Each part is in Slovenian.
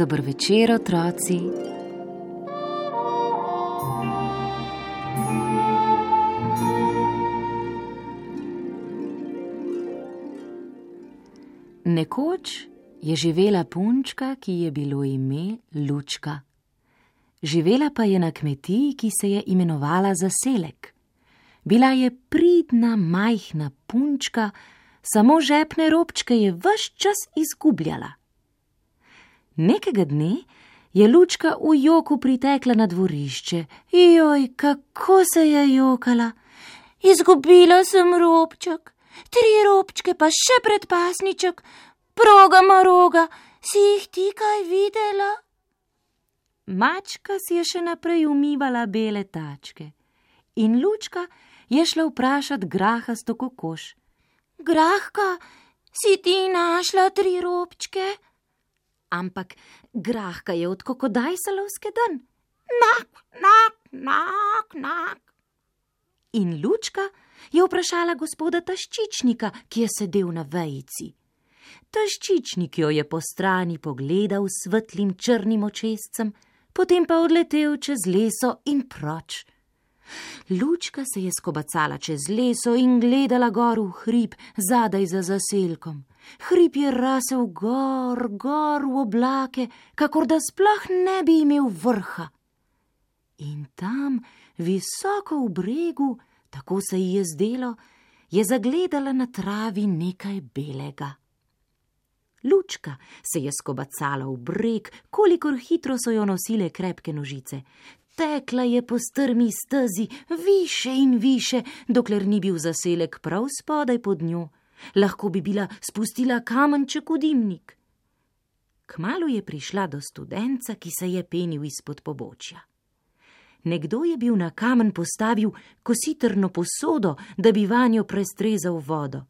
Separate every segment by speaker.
Speaker 1: Dober večer, otroci. Nekoč je živela punčka, ki je bilo ime Lučka. Živela pa je na kmetiji, ki se je imenovala Zaselek. Bila je pridna, majhna punčka, samo žepne robčke je ves čas izgubljala. Nekega dne je Lučka v joku pritekla na dvorišče. Joj, kako se je jokala! Izgubila sem robček, 3 robčke pa še predpasniček. Proga maroga, si jih ti kaj videla? Mačka si je še naprej umivala bele tačke in Lučka je šla vprašat grahasto kokoš. Grahka, si ti našla 3 robčke? Ampak Grahka je od kokodajsala vzkedan. Nak, nak, nak, nak. In Lučka je vprašala gospoda Taščičnika, ki je sedel na vejici. Taščičnik jo je po strani pogledal s svetlim črnim očescem, potem pa odletel čez leso in proč. Lučka se je skobacala čez leso in gledala gor v hrib, zadaj za zaselkom. Hrib je rasel gor v oblake, kakor da sploh ne bi imel vrha. In tam, visoko v bregu, tako se ji je zdelo, je zagledala na travi nekaj belega. Lučka se je skobacala v breg, kolikor hitro so jo nosile krepke nožice. Tekla je po strmi stezi, više in više, dokler ni bil zaselek prav spodaj pod njo. Lahko bi bila spustila kamenček v dimnik. Kmalu je prišla do studenca, ki se je penil izpod pobočja. Nekdo je bil na kamen postavil kositrno posodo, da bi vanjo prestrezal vodo.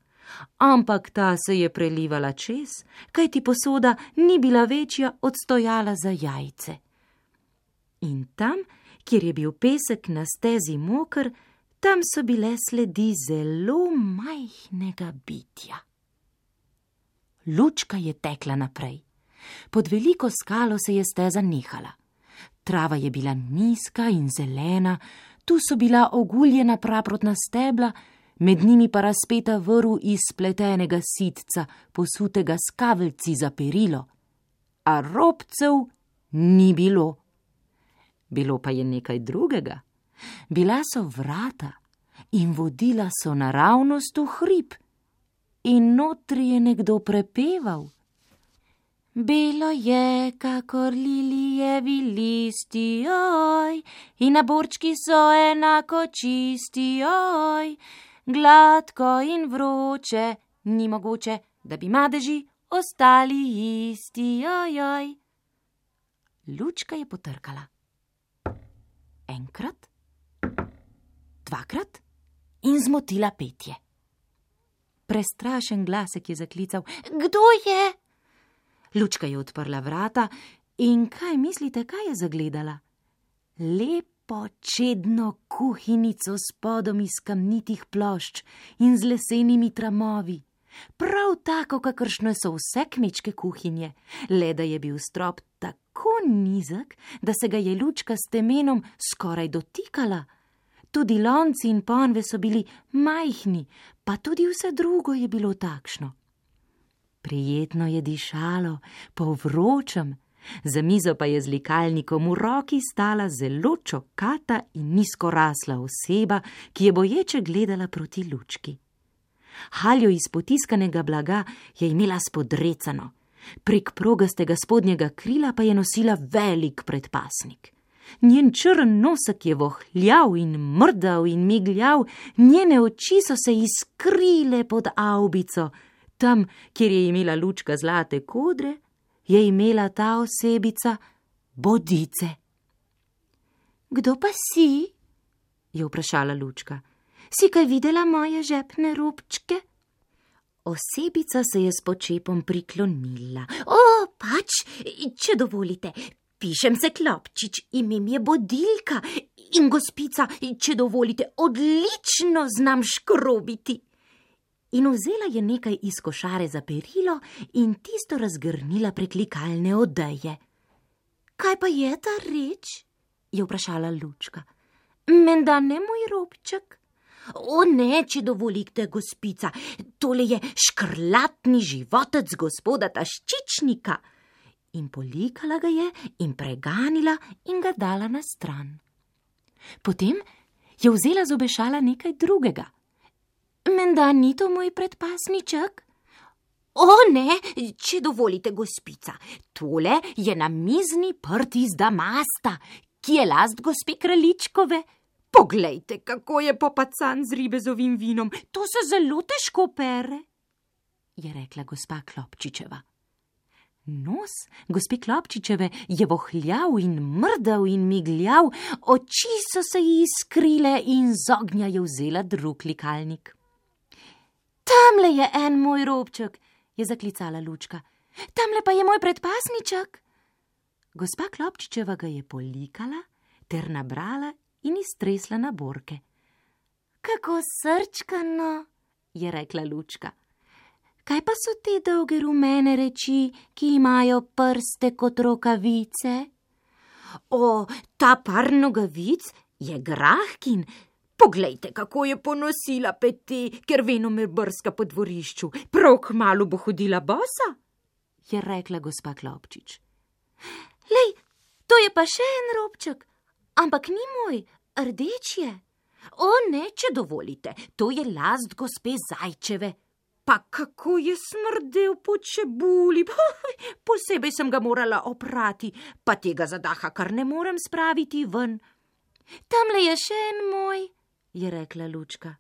Speaker 1: Ampak ta se je prelivala čez, kajti posoda ni bila večja od stojala za jajce. In tam, kjer je bil pesek na stezi moker, tam so bile sledi zelo majhnega bitja. Lučka je tekla naprej. Pod veliko skalo se je steza nehala. Trava je bila nizka in zelena, tu so bila oguljena praprotna stebla, med njimi pa razpeta vrv iz spletenega sitca, posutega s kaveljci za perilo. A robcev ni bilo. Bilo pa je nekaj drugega. Bila so vrata in vodila so naravnost v hrib. In notri je nekdo prepeval. Belo je, kakor lilijevi listi, oj, in naborčki so enako čisti, oj, gladko in vroče, ni mogoče, da bi madeži ostali isti, oj, oj. Lučka je potrkala. Enkrat, 2krat in zmotila petje. Prestrašen glasek je zaklical: Kdo je? Lučka je odprla vrata in kaj mislite, kaj je zagledala? Lepo, čedno kuhinjico s podom iz kamnitih plošč in z lesenimi tramovi. Prav tako, kakršne so vse kmečke kuhinje, le da je bil strop tako nizek, da se ga je Lučka s temenom skoraj dotikala. Tudi lonci in ponve so bili majhni, pa tudi vse drugo je bilo takšno. Prijetno je dišalo, po vročem, za mizo pa je z likalnikom v roki stala zelo čokata in nizkorasla oseba, ki je boječe gledala proti Lučki. Haljo iz potiskanega blaga je imela spodrecano, prek progastega spodnjega krila pa je nosila velik predpasnik. Njen črn nosek je vohljav in mrdav in migljav, njene oči so se iskrile pod avbico. Tam, kjer je imela Lučka zlate kodre, je imela ta osebica bodice. Kdo pa si? Je vprašala Lučka. Si kaj videla moje žepne robčke? Osebica se je s počepom priklonila. Pač, če dovolite, pišem se Klopčič, ime mi je Bodilka in gospica, če dovolite, odlično znam škrobiti. In vzela je nekaj iz košare za perilo in tisto razgrnila prek likalne odeje. Kaj pa je ta reč? Je vprašala Lučka. Menda ne moj robček? Ne, če dovolite, gospica, tole je škrlatni životec gospoda Taščičnika. In polikala ga je in preganila in ga dala na stran. Potem je vzela z obešala nekaj drugega. Menda ni to moj predpasniček? Ne, če dovolite, gospica, tole je namizni prt iz damasta, ki je last gospe Kraljičkove. Poglejte, kako je popacan z ribezovim vinom, to se zelo težko pere, je rekla gospa Klopčičeva. Nos gospe Klopčičeve je vohljal in mrdal in migljav, oči so se ji iskrile in z ognja je vzela drug likalnik. Tamle je en moj robček, je zaklicala Lučka. Tamle pa je moj predpasniček. Gospa Klopčičeva ga je polikala ter nabrala in iztresla na borke. Kako srčkano, je rekla Lučka. Kaj pa so te dolge rumene reči, ki imajo prste kot rokavice? Ta par nogavic je Grahkin. Poglejte, kako je ponosila pete, ker venomer brska po dvorišču. Prav kmalu bo hodila bosa, je rekla gospa Klopčič. Lej, to je pa še en robček, ampak ni moj, rdeč je. Ne, če dovolite, to je last gospe Zajčeve. Pa kako je smrdel po čebuli, posebej sem ga morala oprati, pa tega zadaha kar ne morem spraviti ven. Tamle je še en moj, je rekla Lučka.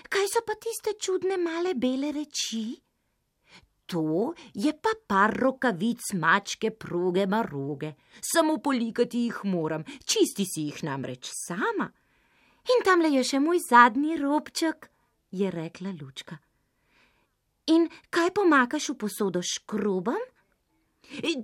Speaker 1: Kaj so pa tiste čudne male bele reči? To je pa par rokavic mačke Proge Maroge. Samo polikati jih moram, čisti si jih namreč sama. In tamle je še moj zadnji robček, je rekla Lučka. In kaj pomakaš v posodo škrobam?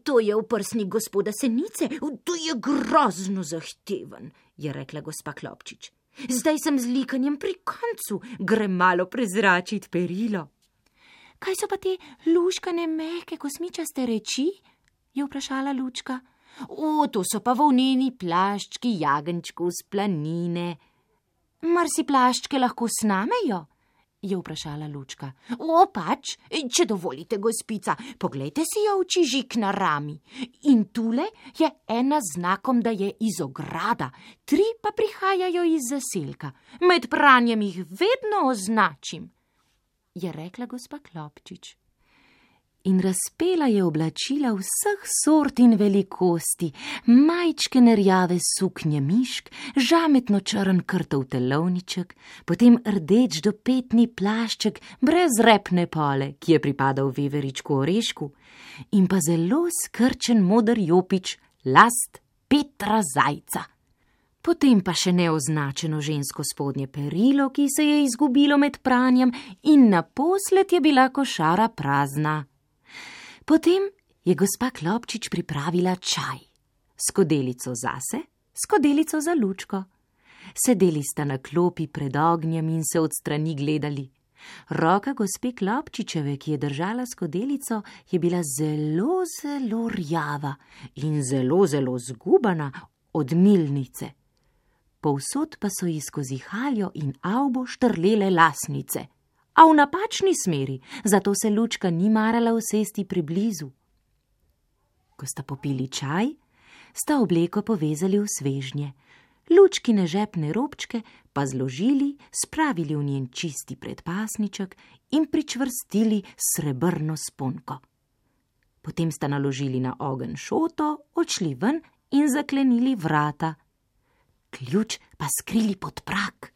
Speaker 1: To je oprsnik gospoda Senice, to je grozno zahteven, je rekla gospa Klopčič. Zdaj sem z likanjem pri koncu, grem malo prezračit perilo. Kaj so pa te luškane mehke kosmičaste reči? Je vprašala Lučka. To so pa volneni plaščki jagenčkov z planine. Mar si plaščke lahko snamejo? Je vprašala Lučka. Pač, če dovolite, gospica, poglejte si jo oči žik na rami. In tule je ena znakom, da je iz ograda, 3 pa prihajajo iz zaselka. Med pranjem jih vedno označim, je rekla gospa Klopčič. In razpela je oblačila vseh sort in velikosti, majčkene rjave suknje mišk, žametno črn krtov telovniček, potem rdeč do petni plašček brez repne pole, ki je pripadal veveričku Orešku, in pa zelo skrčen moder jopič, last Petra Zajca. Potem pa še neoznačeno žensko spodnje perilo, ki se je izgubilo med pranjem, in naposled je bila košara prazna. Potem je gospa Klopčič pripravila čaj, skodelico zase, skodelico za Lučko. Sedeli sta na klopi pred ognjem in se od strani gledali. Roka gospe Klopčičeve, ki je držala skodelico, je bila zelo, zelo rjava in zelo, zelo zgubana od milnice. Povsod pa so ji skozi haljo in avbo štrlele lasnice, a v napačni smeri, zato se Lučka ni marala usesti priblizu. Ko sta popili čaj, sta obleko povezali v svežnje, Lučkine žepne robčke pa zložili, spravili v njen čisti predpasniček in pričvrstili srebrno sponko. Potem sta naložili na ogenj šoto, odšli ven in zaklenili vrata. Ključ pa skrili pod prak.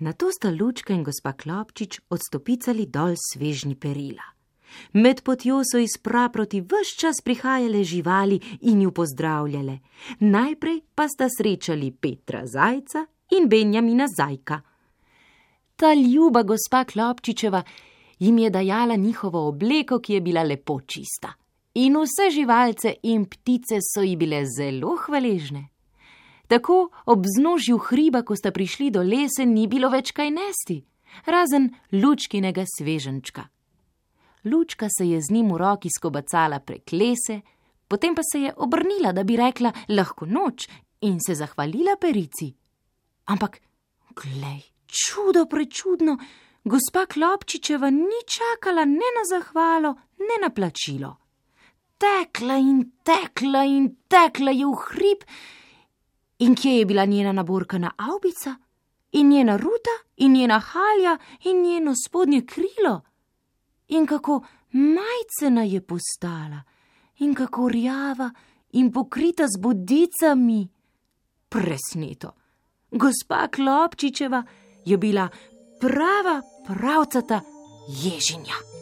Speaker 1: Nato sta Lučka in gospa Klopčič odstopicali dol svežnji perila. Med potjo so iz praproti ves čas prihajale živali in ju pozdravljale. Najprej pa sta srečali Petra zajca in Benjamina zajka. Ta ljuba gospa Klopčičeva jim je dajala njihovo obleko, ki je bila lepo čista. In vse živalce in ptice so ji bile zelo hvaležne. Tako ob vznožju hriba, ko sta prišli do lesen, ni bilo več kaj nesti, razen Lučkinega sveženčka. Lučka se je z njim v roki skobacala prek lese, potem pa se je obrnila, da bi rekla lahko noč in se zahvalila perici. Ampak, glej, čudo prečudno, gospa Klopčičeva ni čakala ne na zahvalo, ne na plačilo. Tekla in tekla in tekla je v hrib. In kje je bila njena naborkana avbica? In njena ruta? In njena halja? In njeno spodnje krilo? In kako majcena je postala, in kako rjava in pokrita z bodicami. Presneto, gospa Klopčičeva je bila prava pravcata ježinja.